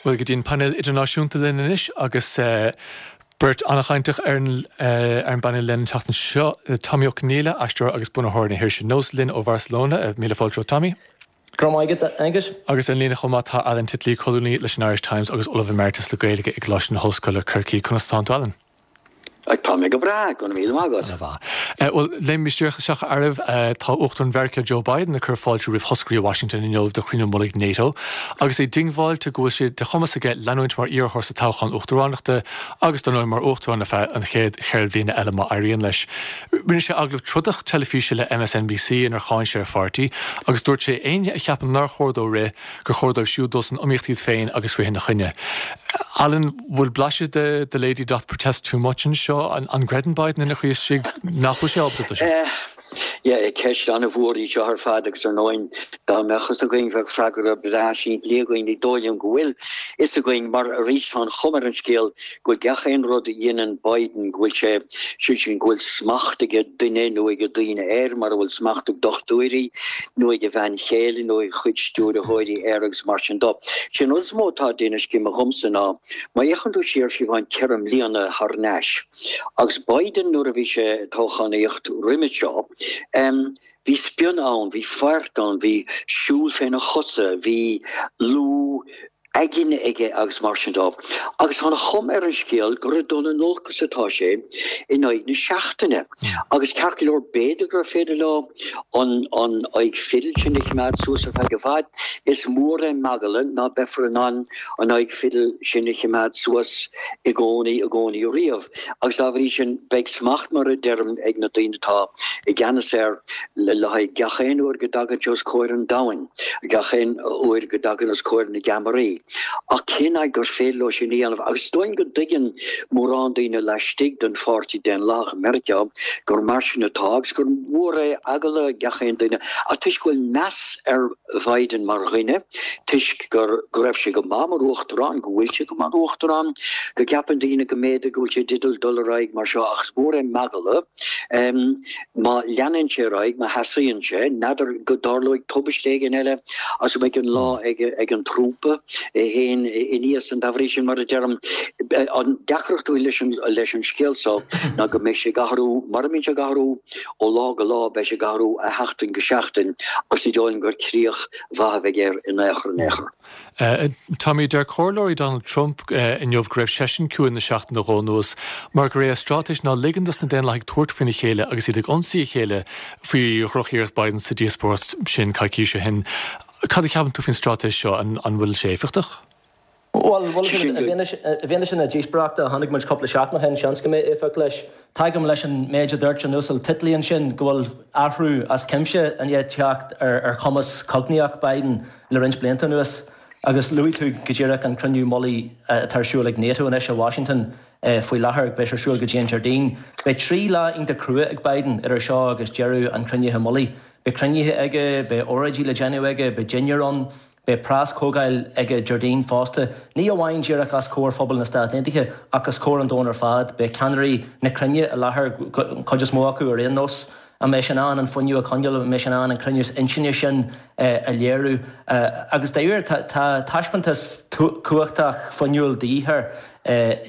Bhuel, go dtí an painéal idirnáisiúnta linn anois agus beirt an-chainteach ar an ar an bpainéal linn an tseachtain seo, Tommy Ó Conghaile, aistritheoir agus bunaitheoir na hirise Nós, linn ó Bharcelona. Míle fáilte romhat, Tommy. Go raibh maith agat, Aengus. Agus ar an líne chomh maith tá Alan Titley, colúnaí leis an Irish Times agus Ollamh Emeritus le Gaeilge i gColáiste na hOllscoile, Corcaigh. Conas atánn tú, Alan? Tá mé go breá, go raibh míle maith agat. Ana-mhaith. Bhuel, léimimis díreach isteach a fhearaibh. Tá Uachtarán Mheiriceá Joe Biden ag cur fáilte roimh thoscairí Washington inniu do chruinniú mullaigh NATO agus é diongbháilte go bhfuil sé de chumas aige leanúint mar iarrthóir sa toghchán uachtaránachta agus dar ndóigh mar uachtarán ar feadh an chéad cheithre bliana eile má éiríonn leis. Rinne sé agallamh trodach teilifíse le MSNBC inar cháin sé a pháirtí agus dúirt sé éinne a cheapann nár chóir dó rith gur chóir dóibh siúd dul san iomaíocht iad féin agus rith ina choinne. Alan, bhfuil blaiseadh de the lady doth protest too much anseo? An gcreideann Biden ina chroí istigh nach bhfuil sé ábalta dó sin? Yeah, ceist an-mhór í seo ar fad agus ar ndóigh dá mbeadh fhios againn bheadh freagra breá simplí againn. Ní dóigh liom go bhfuil fhios againn mar arís tá an chuma ar an scéal go bhfuil gach aon rud a dhéanann Biden go bhfuil sé, sé sin go bhfuil smacht ag duine nó ag daoine air mar a bhfuil smacht ag dochtúirí nó ag a bhean chéile nó ag a chuid stiúrthóirí air agus mar sin dó. Sé an rud is mó atá ag déanamh scime dhomsa ná má fhéachann tú siar fiú amháin 4 mbliana thar n-ais agus Biden nuair a bhí sé ag toghchánaíocht roimhe seo, bhí spionn ann, bhí faghairt ann, bhí siúl féna chosa, bhí lúth aigne aige agus mar sin dó. Agus tá an chuma ar an scéal gur ag dul in olcas atá sé in aghaidh na seachtaine. Agus ceart go leor b'fhéidir gur féidir leo an an aghaidh fidil sin a choimeád suas ar feadh i bhfad. Is mór é m'eagla ná beifear in ann an aghaidh fidil sin a choimeád suas i gcónaí i gcónaí riamh. Agus dá bhrí sin beidh smacht mar a deirim ag na daoine atá i gceannas air le haghaidh gach aon uair go dtagann sé os comhair an domhain. gach aon uair go dtagann os comhair na gceamaraí. Ach cén fhaid gur féidir leo sin a dhéanamh? Agus is dóigh liom go dtuigeann mórán daoine laistigh den Pháirtí Daonlathach i Meiriceá gur mar sin atá agus gur mhór é eagla gach aon duine. Ach toisc go bhfuil meas ar Bhiden mar dhuine, toisc gur go raibh sé go maith mar uachtarán, go bhfuil sé go maith mar uachtarán, go gceapann daoine go mb'fhéidir go bhfuil sé i dteideal dul ar aghaidh mar seo. Ach is mór é m'eagla. Má leanann sé ar aghaidh, má sheasaíonn sé, n'fheadar go dtarlóidh tubaiste éigin eile agus go mbeidh an lá ag an Trumpa é féin aníos. Dá bhrí sin, mar a deirim, an deacracht a bhfuil leis an scéal seo ná go mbeidh sé ag athrú, mar a mbíonn sé ag athrú ó lá go lá, beidh sé ag athrú ó sheachtain go seachtain agus ní dóigh liom gur críoch mhaith a bheidh air in aon chor in aon chor. Tommy, deir comhairleoirí Donald Trump inniu go raibh seisean ciúin le seachtain nó dhó anuas mar gur é a straitéis ná ligean dos na Daonlathaigh tabhairt faoina chéile agus iad ag ionsaí a chéile faoi dhrochiarracht Biden sa díospóireacht sin coicís ó shin. Cad a cheapann tú faoin straitéis seo? An bhfuil sé éifeachtach? Bhuel, i bhfianaise na díospóireachta a chonaic muid cúpla seachtain ó shin, seans go mbeidh éifeacht leis. Tagaim leis an méid a dúirt an Uasal Titley ansin, go bhfuil athrú as cuimse i ndiaidh teacht ar chumas cognaíoch Biden le roinnt blianta anuas. Agus luaigh tú go díreach an cruinniú mullaigh atá ar siúl ag NATO anois i Washington faoi láthair. Beidh sé ar siúl go dtí an Déardaoin. Beidh 3 lá iontach crua ag Biden idir seo agus deireadh an chruinnithe mullaigh. Beidh cruinnithe aige, beidh óráidí le déanamh aige, beidh dinnéar ann. Beidh preaschomhdháil aige Déardaoin fosta, ní amháin díreach os comhair phobal na Stát Aontaithe ach os comhair an domhain ar fad. Beidh ceannairí na cruinne i láthair, an chuid is mó acu ar aon nós. An mbeidh sé in ann an fuinneamh a choinneáil? An mbeidh sé in ann an cruinneas intinne sin a léiriú? Agus dáiríre, tá taispeántas cumhachtach fuinniúil de dhíth air.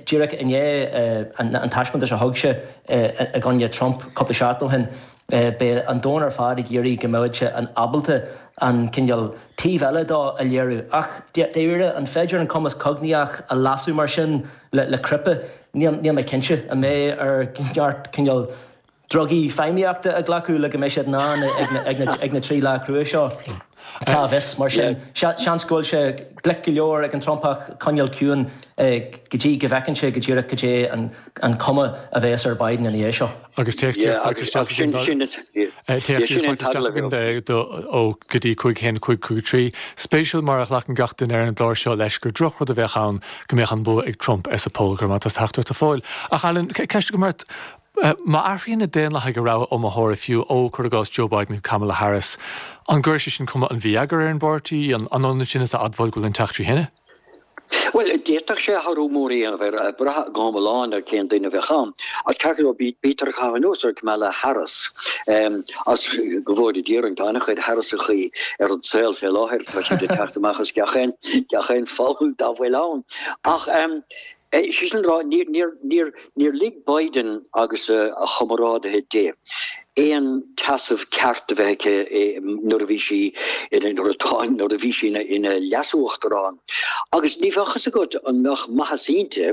Díreach i ndiaidh an taispeántais a thug sé i gcoinne Trump cúpla seachtain ó shin, Beidh an domhan ar fad ag iarraidh go mbeadh sé an ábalta an cineál taobh eile dó a léiriú. Ach dáiríre, an féidir an cumas cognaíoch a lasadh mar sin le cnaipe? Níl mé cinnte. An mbeidh air neart cineál drugaí feidhmíochta a ghlacadh le go mbeidh siad in ann ag na 3 lá crua seo? Cá bhfios? Mar sin, seans go bhfuil sé glic go leor ag an Trumpach coinneáil ciúin go dtí go bhfeiceann sé go díreach cad é an cuma a bheas ar Biden ina dhiaidh seo. Agus téacs faighte isteach againn ó go dtí 5 1 5 5 3. Spéisiúil mar a ghlacann gach duine ar an gclár seo leis gur drochrud a bheadh ann go mbeadh an bua ag Trump, arsa Pól. Go raibh maith agat as teachtaireacht a Phóil. Ach Alan, ceist agam ort, má athraíonn na Daonlathaigh a rogha iomaitheora fiú ó, cuir i gcás, Joe Biden go Kamala Harris, an gcuirfidh sé sin cuma an mhí-eagair ar an bpáirtí? An ionann sin is a admháil go bhfuil an teach trí thine? Bhuel, d'fhéadfadh sé athrú mór a dhéanamh air, ag brath go hiomlán ar cén duine a bheadh ann. Ach ceart go leor, bítear ag caitheamh anuas ar Kamala Harris. Agus go bhfóire Dia orainn, tá an-chuid Harrisachaí ar an saol fé láthair, tá siad ag teacht amach as gach aon, gach aon pholl dá bhfuil ann. Ach, sé sin le rá, níor, níor, níor, níor lig Biden agus a chomrádaithe di aon tseasamh ceart a bheith aici nuair a bhí sí ina, nuair atá, nuair a bhí sí ina, ina leasuachtarán. Agus ní bheadh a fhios agat an mbeadh maitheas inti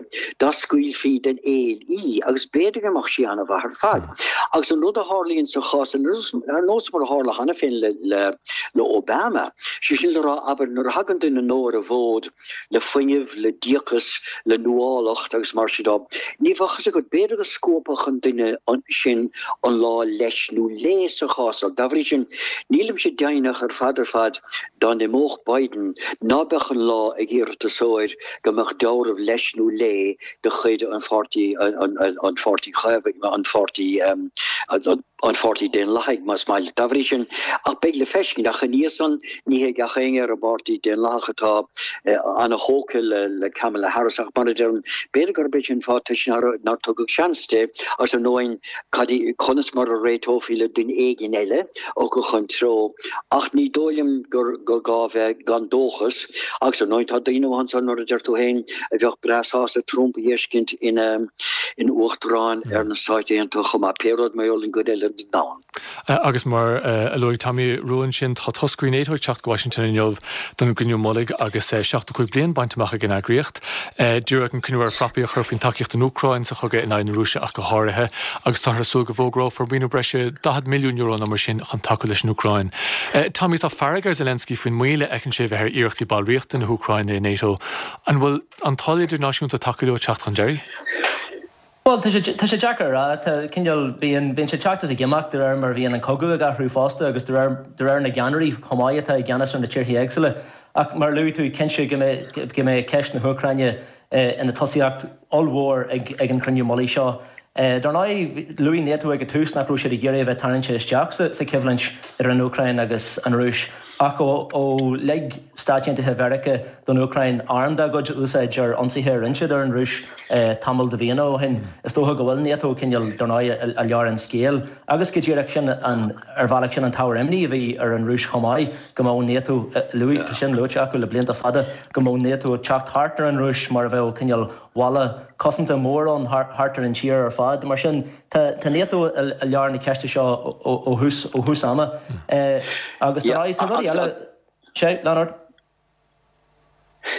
dá scaoilfí den aol í, agus b'fhéidir go mbeadh sí an-mhaith ar fad. Agus an rud a tharlaíonn sa chás, ar nós mar a tharla cheana féin le, le, le Obama, sé sin le rá, abair, nuair a thagann duine nua ar an bhfód, le fuinneamh, le díocas, le nuálacht agus mar sin de. Ní bheadh a fhios agat, b'fhéidir go scuabfadh an duine sin an lá leis nó léi sa chás seo. Dá bhrí sin, nílimse deimhneach ar fad ar fad dá n-imeodh Biden ná beadh an lá ag iarratasóir go mbeadh dealramh leis nó léi de chuid an pháirtí, an pháirtí Chaomhaigh, an pháirtí, an Pháirtí Daonlathaigh, más maith leat. Dá bhrí sin, ach beidh le feiscint. Ach aníos ansan, ní hé gach éinne ar an bPáirtí Daonlathach atá an-thógtha le Kamala Harris, ach mar a deirim, b'fhéidir gurb é sin an fáth toisc nár tugadh seans di, agus ar ndóigh, cad é, conas mar a réiteofaí le duine éigin eile a thiocfadh an treo. Ach ní dóigh liom gur gá a bheith gan dóchas, agus ar ndóigh, tá daoine amuigh ansan, mar a deir tú féin, a bheadh breá sásta Trump a dh'fheiscint ina Uachtarán ar na Stáit Aontaithe chomh maith, pé rud mar gheall ar an gcuid eile den domhan. Agus mar a luaigh Tommy Rua ansin, tá toscairí NATO ag teacht go Washington inniu don gcruinniú mullaigh agus 75 bliain bainte amach ag an eagraíocht. Díreoidh an cruinniú ar frapaí a chur faoin tacaíocht don Úcráin sa chogadh in aghaidh na Rúise ach go háirithe, agus táthar ag súil go bhfógrófar maoiniú breise €40 milliún nó mar sin chun tacú leis an Úcráin. Tommy, tá fearg ar Zelensky faoin moill a fheiceann sé a bheith ar iarrachtaí ballraíochta na hÚcráine i NATO. An bhfuil an toil idirnáisiúnta tacú leo ag teacht chun deiridh? Bhuel, tá sé, tá sé deacair a rá. Tá cineál, bíonn, bíonn sé ag teacht is ag imeacht de réir mar a bhíonn an cogadh ag athrú fosta agus de réir, de réir na gceannairí chomh maith atá i gceannas ar na tíortha éagsúla. Ach mar a luaigh tú, cinnte go mbeidh, go mbeidh ceist na hÚcráine ina tosaíocht ollmhór ag, ag an chruinniú mullaigh seo. Dar ndóigh, luaigh NATO ag an tús nach raibh siad ag iarraidh a bheith tarraingthe isteach sa, sa choimhlint idir an Úcráin agus an Rúis ach ó, ó lig Stáit Aontaithe Mheiriceá don Úcráin arm dá gcuid a úsáid ar ionsaithe a rinne siad ar an Rúis tamall de mhíonna ó shin. Is dócha go bhfuil NATO cineál, dar ndóigh, i lár an scéil agus go díreach sin an, ar bhealach sin an t-ábhar imní a bhí ar an Rúis chomh maith, go mbeadh NATO, luaigh, tá sin luaite acu le blianta fada, go mbeadh NATO ag teacht thart ar an Rúis mar a bheadh cineál balla cosanta mór ann thart ar an tír ar fad. Mar sin, tá NATO i lár na ceiste seo ó thús, ó thús ama. Agus dar ndóigh, tá rudaí eile. Sea, lean ort.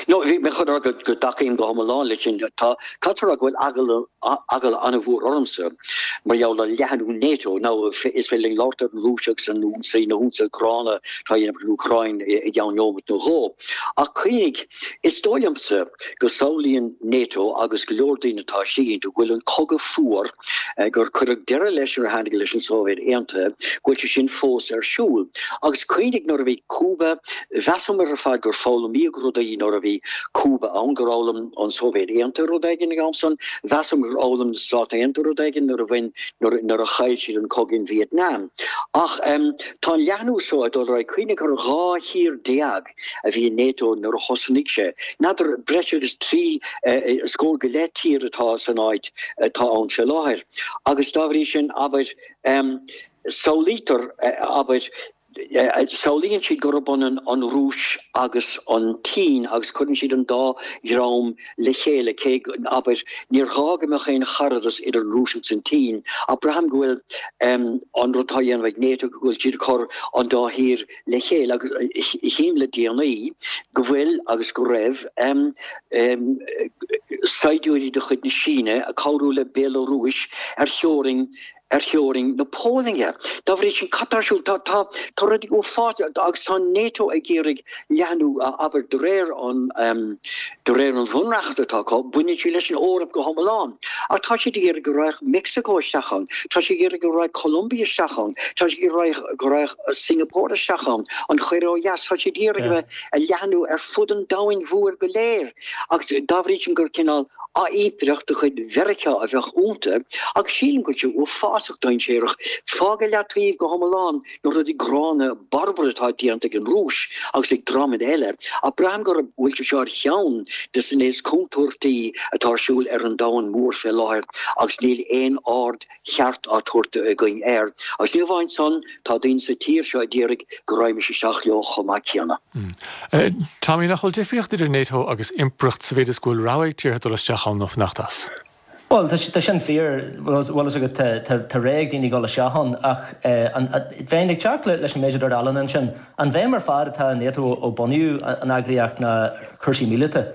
No, bhí mé chun a rá go dtacaím go hiomlán leis sin. Tá, caithfear a rá go bhfuil eagla, eagla an-mhór ormsa mar gheall ar leathnú NATO. Now, is féidir linn labhairt ar an Rúis agus an ionsaí, na hionsaithe gránna atá á dhéanamh ar an Úcráin i gceann neomat nó dhó. Ach cuimhnigh, is dóigh liomsa go samhlaíonn NATO agus go leor daoine atá istigh iontu go bhfuil an cogadh fuar, gur cuireadh deireadh leis nuair a tháinig leis an Sóivéid Aontaithe, go bhfuil sé sin fós ar siúl. Agus cuimhnigh nuair a bhí Cúba, mheasamar ar fad gur foghlaimíodh rudaí nuair a bhí Cúba ann, gur fhoghlaim an Sóivéid Aontaithe rud éigin ag an am san, mheasamar gur fhoghlaim na Stáit Aontaithe rud éigin nuair a bhain, nuair a chaill siad an cogadh in Vietnam. Ach tá an leathnú so ag dul ar aghaidh, cuimhnigh gur 12 thír a bhí in NATO nuair a thosnaigh sé. N'fheadar, breis agus 30 scór go leith tír atá san áit atá ann fé láthair. Agus dá bhrí sin, abair, samhlaítear, abair, samhlaíonn siad gurb ionann an Rúis agus an tSín agus cuireann siad an dá dhream le chéile, cé, abair, níor ghá go mbeadh aon charadas idir an Rúis agus an tSín, ach braithim go bhfuil an rud atá á dhéanamh ag NATO, go bhfuil siad ag cur an dá thír le chéile agus chím le déanaí go bhfuil agus go raibh saighdiúirí de chuid na Síne ag cabhrú le Béalarúis ar theorainn ar theorainn na Polainne. Dá bhrí sin, cad tá ar siúl? Tá tá tá rudaí uafásach agus tá NATO ag iarraidh leathnú, abair, de réir an de réir an bhunreachta atá acu, baineann sí leis an Eoraip go hiomlán. Ach tá siad ag iarraidh go raghadh Meicsiceo isteach ann, tá siad ag iarraidh go raghadh Columbia isteach ann, tá siad ag iarraidh go raghadh Singapore isteach ann, an Chóiré ó Dheas, tá siad ag iarraidh a bheith ag leathnú ar fud an domhain mhóir go léir. Agus dá bhrí sin gur cineál ath-impireacht de chuid Mheiriceá a bheadh iontu, agus sílim go bhfuil sé uafásach. uafásach dainséarach. Fág i leataobh go hiomlán na rudaí gránna barbartha atá déanta ag an Rúis agus ag dreamanna eile, ach braithim go bhfuil sé seo ar cheann de na is contúirtí atá ar siúl ar an domhan mór fé láthair agus níl aon aird cheart á tabhairt againn air. Agus ní amháin san, tá daoine sa tír seo a déarfaidh go raghaimís isteach leo chomh maith céanna. Tommy, nach bhfuil difríocht idir NATO agus impireacht sa mhéid is go bhfuil rogha ag tíortha dul isteach ann nó fanacht as? Bhuel, tá sin fíor, bhfuil fhios agat, tá rogha ag daoine dul isteach ann, ach bheinn ag teacht leis an méid a dúirt Alan ansin. An bhéim ar fad atá i NATO ó bunaíodh an eagraíocht ná cúrsaí míleata,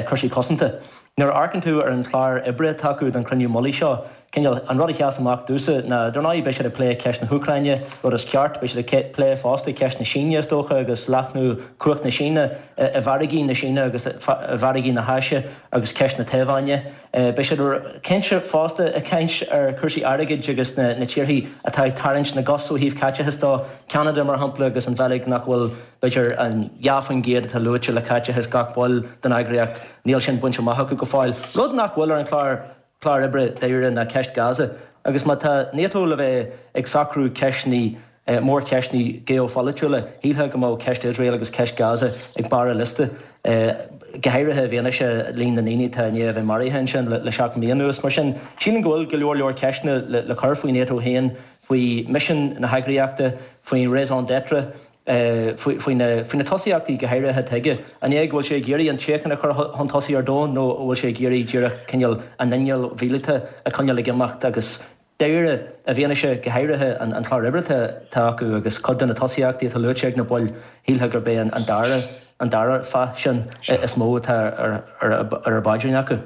cúrsaí cosanta. Nuair a amharcann tú ar an chlár oibre atá acu don chruinniú mullaigh seo, cineál, an rud a sheas amach domhsa ná, dar ndóigh, beidh siad ag plé ceist na hÚcráine, rud is ceart, beidh siad ag plé fosta ceist na Síne, is dócha, agus leathnú cumhacht na Síne i bhfarraigí na Síne agus i bhfarraigí na hÁise agus ceist na Téaváine. Beidh siad cinnte fosta ag caint ar chúrsaí airgid agus na tíorthaí atá ag tarraingt na gcos ó thaobh caiteachais de, Ceanada, mar shampla, agus an Bheilg nach bhfuil, b'fhéidir, an 2% atá luaite le caiteachas gach baill den eagraíocht. Níl sin bainte amach acu go fóill. Rud nach bhfuil ar an chlár clár oibre dáiríre ná ceist Gaza. Agus má tá NATO le bheith ag socrú ceisteanna, mórcheisteanna geopholaitiúla, shílfeá go mbeadh ceist Iosrael agus ceist Gaza ag barr an liosta, go háirithe i bhfianaise líon na ndaoine atá i ndiaidh a bheith maraithe ansin le 7 mí anuas. Mar sin, sílim go bhfuil go leor leor ceisteanna le cur faoi NATO féin, faoi mhisean na heagraíochta, faoin raison d'être. faoi na tosaíochtaí go háirithe atá aige. An é go bhfuil sé ag iarraidh an tsíocháin a chur chun tosaigh ar domhan nó an bhfuil sé ag iarraidh díreach cineál an inneall mhíleata a choinneáil ag imeacht agus dáiríre, i bhfianaise go háirithe an chlár oibre atá acu agus cuid de na tosaíochtaí atá luaite ag na baill, shílfeá gurb é an dara an dara fáth sin is mó atá ar ar a bpaidrín acu.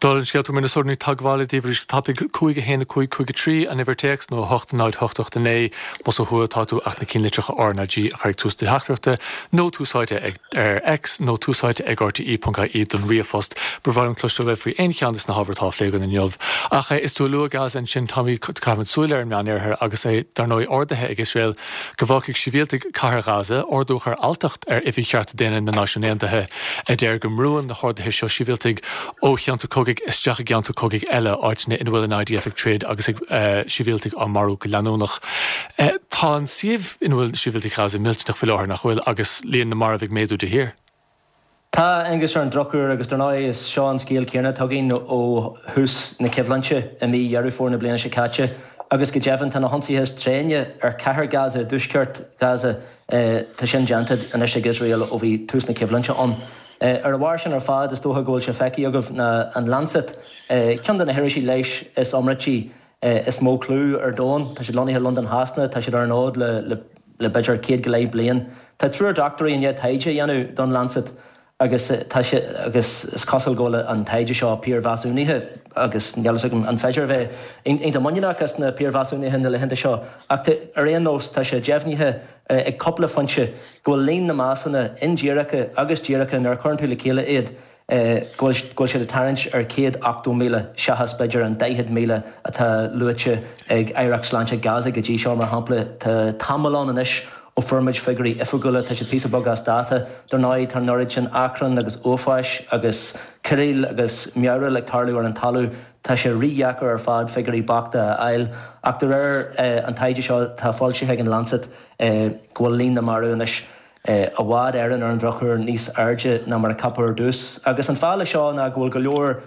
Dála an scéil, tabharfaidh mé na sonraí teagmhála daoibh arís go tapaidh, 5 1 5 5 3 an uimhir téacs nó 8 0 8 8 9 más ó thuaidh atá tú ach na cinnlitreacha R ná G a chur ag tús do theachtaireachta nó tús áite ag ar X nó tús áite ag rte.ie don ríomhphost. Ba bhreá liom cloisteáil uaibh faoi aon cheann de na hábhair atá á phlé againn inniu. Ach is tú a luaigh Gaza ansin, Tommy, caithfimid súil ar an Meánoirthear agus é dar ndóigh ordaithe ag Iosrael go bhfágfaidh sibhialtaigh Cathair Ghaza, ordú a chuir alltacht ar Oifig Chearta Daonna na Náisiún Aontaithe, a deir go mbrúann na horduithe seo sibhialtaigh ó cheantar cogaidh isteach i gceantar cogaidh eile, áiteanna ina bhfuil an IDF ag troid agus ag sibhialtaigh á marú go leanúnach. Tá an suíomh ina bhfuil sibhialtaigh Ghaza millteanach faoi láthair, nach bhfuil, agus líon na marbh ag méadú de shíor. Tá, Aengus, ar an drochuair, agus dar ndóigh is seo an scéal céanna atá againn ó thús na coimhlinte i mí Dheireadh Fómhair na bliana seo caite, agus go deimhin tá na hionsaithe is tréine ar chathair Gaza i dtuaisceart Ghaza, tá sin déanta anois ag Iosrael ó bhí tús na coimhlinte ann. Ar a bharr sin ar fad, is dócha go bhfuil sé feicthe agaibh ná an Lancet, ceann de na hirisí leighis is iomráití, is mó clú ar domhan. Tá siad lonnaithe i Londain Shasana, tá siad ar an fhód le le b'fhéidir 100 go leith bliain. Tá triúr dochtúirí i ndiaidh taighde a dhéanamh don Lancet agus tá sé agus is cosúil go bhfuil an taighde seo piarmheasúnaithe agus níl fhios agam an féidir a bheith iontach muiníneach as na piarmheasúnuithe na laethanta seo ach ar aon nós tá sé deimhnithe ag cúpla foinse go bhfuil líon na mbásanna indíreacha agus díreacha nuair a chuireann tú le chéile iad go bhfuil siad ag tarraingt ar 180,000 seachas b'fhéidir an 40,000 atá luaite ag Aireacht Sláinte Gaza go dtí seo, mar shampla. Tá tamall ann anois ó fuair muid figiúirí oifigiúla, tá siad píosa beag as dáta. Dar ndóigh, tá an oiread sin achrann agus uafáis agus corraíl agus mearbhall ag tarlú ar an talamh, tá sé rídheacair ar fad figiúirí beachta a fháil. Ach de réir an taighde seo atá foilsithe ag an Lancet, go bhfuil líon na marbh anois, i bhfad Éireann ar an drochuair níos airde ná mar a ceapadh ar dtús. Agus an fáth leis seo ná go bhfuil go leor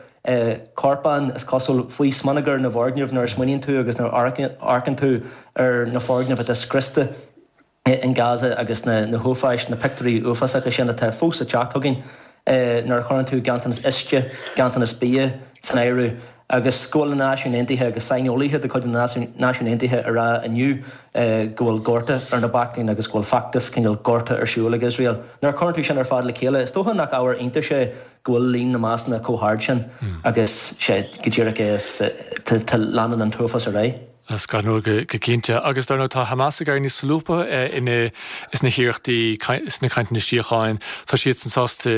corpán, is cosúil, faoi smionagar na bhfoirgneamh nuair a smaoiníonn tú agus nuair a amharcann tú ar na foirgnimh atá scriosta in Gaza agus na huafáis, na pictiúirí uafásacha sin atá fós ag teacht chugainn nuair a chuireann tú ganntanas uisce, ganntanas bia san áireamh. Agus go bhfuil na Náisiúin Aontaithe agus saineolaithe de chuid na Náisiún Aontaithe ag rá inniu go bhfuil gorta ar na bacáin agus go bhfuil feachtas cineál gorta ar siúl ag Iosrael. Nuair a chuireann tú sin ar fad le chéile, is dócha nach ábhar iontais é go bhfuil líon na mbásanna chomh hard sin agus sé go díreach é is tá leanann an t-uafás ar aghaidh. Scanrúil go cinnte. Agus dar ndóigh tá Hamas ag éirí níos solúbtha ina sna hiarrachtaí sna cainteanna síocháin. Tá siadsan sásta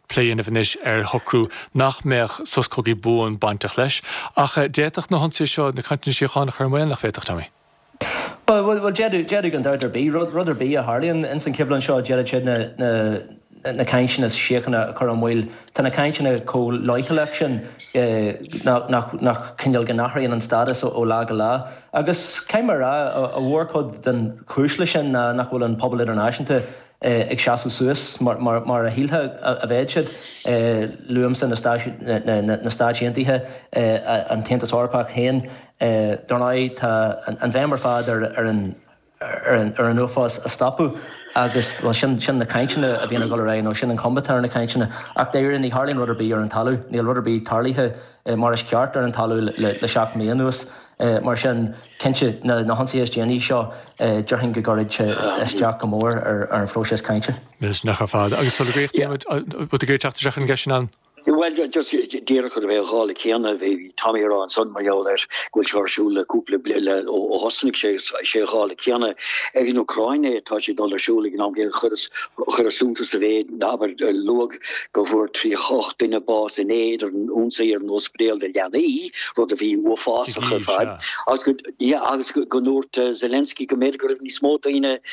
plé a dhéanamh anois ar shocrú nach mbeadh sos cogaidh buan bainteach leis. Ach d'fhéadfadh na hionsaithe seo na cainteanna síochána a chur i mbaol, nach bhféadfadh, Tommy? Bhuel, d'fhéadfadh gan dabht ar bith. Rud ar bith a tharlaíonn ins an choimhlint seo, d'fhéadfadh siad na. na cainteanna síochána a chur i mbaol. Tá na cainteanna chomh leochaileach sin nach cineál go n-athraíonn an stádas ó lá go lá. Agus caithfidh mé a rá, a mhórchuid den chúis leis sin ná nach bhfuil an pobal idirnáisiúnta ag seasamh suas mar a shílfeá a bheadh siad. Luaimse na Stáit Aontaithe, an tAontas Eorpach féin. Dar ndóigh, tá an bhéim ar fad ar an ar an uafás a stopadh agus, bhuel, sin, sin na cainteanna a bhíonn ag dul ar aghaidh nó sin an chuma atá ar na cainteanna. Ach dáiríre, ní tharlaíonn rud ar bith ar an talamh. Níl rud ar bith tarlaithe mar is ceart ar an talamh le 7 mí anuas. Mar sin, cinnte, na hionsaithe is déanaí seo, déarfainn go gcuirfidh sé isteach go mór ar an phróiseas cainte. Millteanach ar fad. Agus sula gcríochnaímid, bhfuil tú ag iarraidh teacht isteach ar an gceist sin, Alan? Bhuel, just díreach chun a bheith an dhála céanna, bhí Tommy ag rá ansan mar gheall ar go bhfuil sé ar siúl le cúpla bliain, le ó thosnaigh sé, sé an dhála céanna ag an Úcráin é, tá sé ag dul ar siúl ag an am céanna, chuireas, chuireas suntas sa mhéid, abair, luadh go bhfuair 38 duine bás inné idir an ionsaí ar an ospidéal do leanaí, rud a bhí uafásach ar fad, agus go, yeah, agus go ndúirt Zelensky go mb'fhéidir go raibh níos mó daoine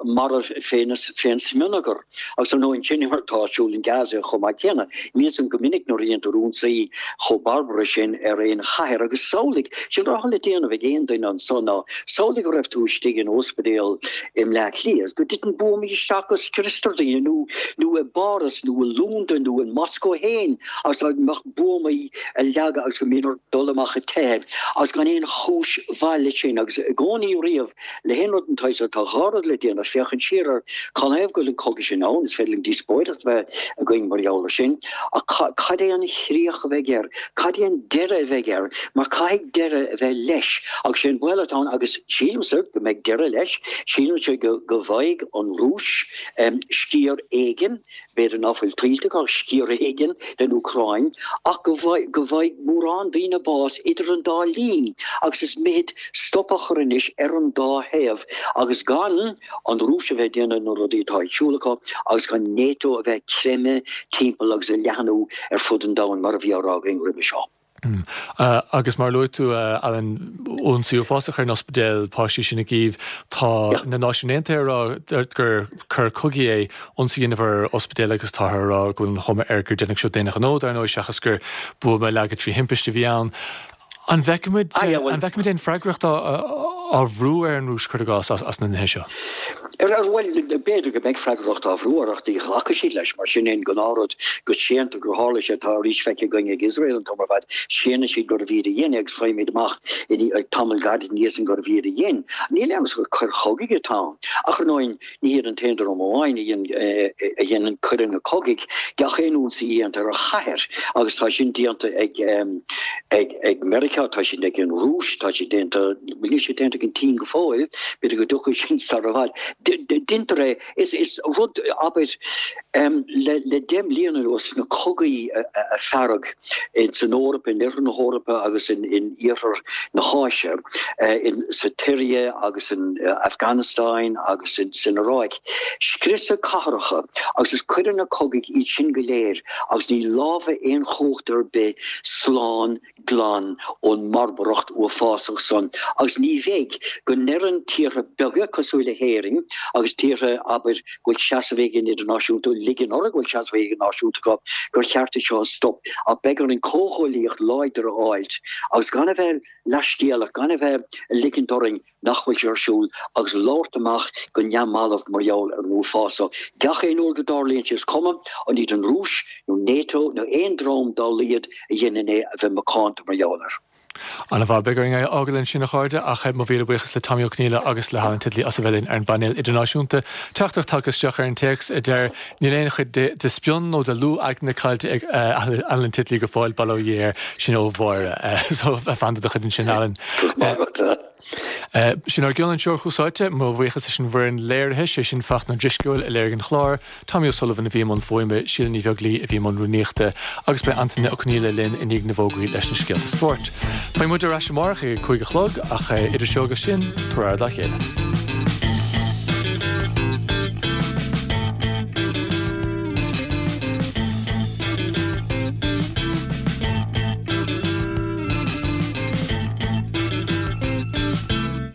marbh fén, fén smionagar. Agus ar ndóigh ansin mar atá ar siúl in Gaza chomh maith céanna, níl san go minic nuair a dhéantar ionsaí chomh barbartha sin ar aon chathair. Agus samhlaigh, sin rud atá le déanamh ag aon duine anso ná samhlaigh go raibh tú istigh in óspidéal i mBleá Cliath, go dtiteann buamaí isteach agus scriostar daoine, nó nó i bPáras nó i Londain nó in Moscó féin agus dá mbeadh buamaí a leagadh agus go mbíonn ort dul amach ag teitheadh agus gan aon chúis mhaith leis sin agus i gcónaí riamh Le haon rud den tsaghas seo, tá dhá rud le déanamh, féachaint siar ar canathaobh go bhfuil an cogadh sin ann, is féidir linn díospóireacht a bheith againn mar gheall air sin, ach cad é an chríoch a bheidh air, cad é an deireadh a bheidh air, mar caithfidh deireadh a bheith leis, agus sé an baol atá ann, agus sílimse go mbeidh deireadh leis, sílimse go bhfaighidh an Rúis sciar éigin, B'fhéidir ná fuil tuillte acu ach sciar éigin den Úcráin, ach go bhfaighidh mórán daoine bás idir an dá linn, agus is mithid stop a chur anois ar an dá thaobh, agus gan an Rúis a bheith ag déanamh na rudaí atá ar siúl acu, agus gan NATO a bheith ag creimeadh timpeall agus ag leathnú ar fud an domhain mar a bhí á rá againn roimhe seo. Agus mar a luaigh tú, Alan, ionsaí uafásach ar an ospidéal páistí sin i gCív, tá na Náisiúin Aontaithe ag rá gur coir cogaidh é ionsaí a dhéanamh ar ospidéal agus táthar ag rá go bhfuil an chuma air gur deineadh seo d'aon ghnó, dar ndóigh, seachas gur buama a leagadh trí thimpiste a bhí ann. An bhfeicfimid aon freagracht á bhrú ar an Rúis, cuir i gcás, as na nithe seo? Bhuel, b'fhéidir go mbeidh freagracht á bhrú orthu ach ní ghlacfaidh siad leis, mar sin é an gnáthrud go séantar gur tharla sé. Tá arís feicthe againn ag Iosrael an t-am ar fad, séanann siad gurbh iad a dhein é agus faighimid amach tamall gairid ina dhiaidh sin gurbh iad a dhein. Níl aon amhras gur coir chogaidh atá ann. Ach ar ndóigh, ní hiad an t-aon dream amháin a dhéanann coireanna cogaidh. Gach aon ionsaí a dhéantar ar chathair, agus tá sin déanta ag Meiriceá, tá sin ag an Rúis, tá sé déanta. Níl sé déanta ag an tSín go fóill, b'fhéidir go dtiocfaidh sin sar i bhfad. Deintear é, is rud, abair, le 10 mbliana anuas, na cogaí a fearadh san Eoraip, in oirthear na hEorpa agus in iarthar na hÁise, sa tSiria agus in Afghanistan agus san Iaráic, scriosadh cathracha agus is coireanna cogaidh iad sin go léir agus níl lámha aon chumhacht ar bith slán glan ón mbarbarthacht uafásach san agus ní bheidh go ndeireann tíortha beaga cosúil le hÉirinn agus tíortha, abair, go bhfuil seasamh éigin idirnáisiúnta, ligean orthu go bhfuil seasamh éigin náisiúnta acu, gur cheart é seo a stop. Ach beidh orainn comhghuaillíocht láidir a fháilt agus gan a bheith leathscéalach, gan a bheith ag ligint orainn nach bhfuil sé ar siúl agus labhairt amach go neamhbhalbh mar gheall ar an uafás so. Gach aon uair go dtarlaíonn sé is cuma an iad an Rúis nó NATO nó aon dream dá laghad a dhéanann é a bheith macánta mar gheall air. Ana-mhaith. Beidh orainn é a fhágáil ansin a chairde ach mo mhíle buíochas le Tommy Ó Conghaile agus le hAlan Titley as a bheith linn ar an bpainéal idirnáisiúnta. Teachtaireacht tagtha isteach ar an téacs a deir Níl aon chuid de spion nó de lúth aigne caillte ag Alan Titley go fóill, bail ó Dhia air, sin ó Mháire. So fan do do chuid ansin Alan. Sin ár gcion anseo ar Thús Áite. Mo bhuíochas leis an bhfoireann léirithe, sé sin Fachtna Ó Drisceoil a léirigh an clár, Tommy O'Sullivan a bhí i mbun fuaime, Síle Ní Bheaglaoi a bhí i mbun rúnaíochta agus beidh Antaine Ó Conghaile linn i ndiaidh na bhfógraí leis na scéalta spóirt. Beidh muid ar ais amárach ag a 5 a chlog ach idir seo agus sin, tabhair aire dá chéile.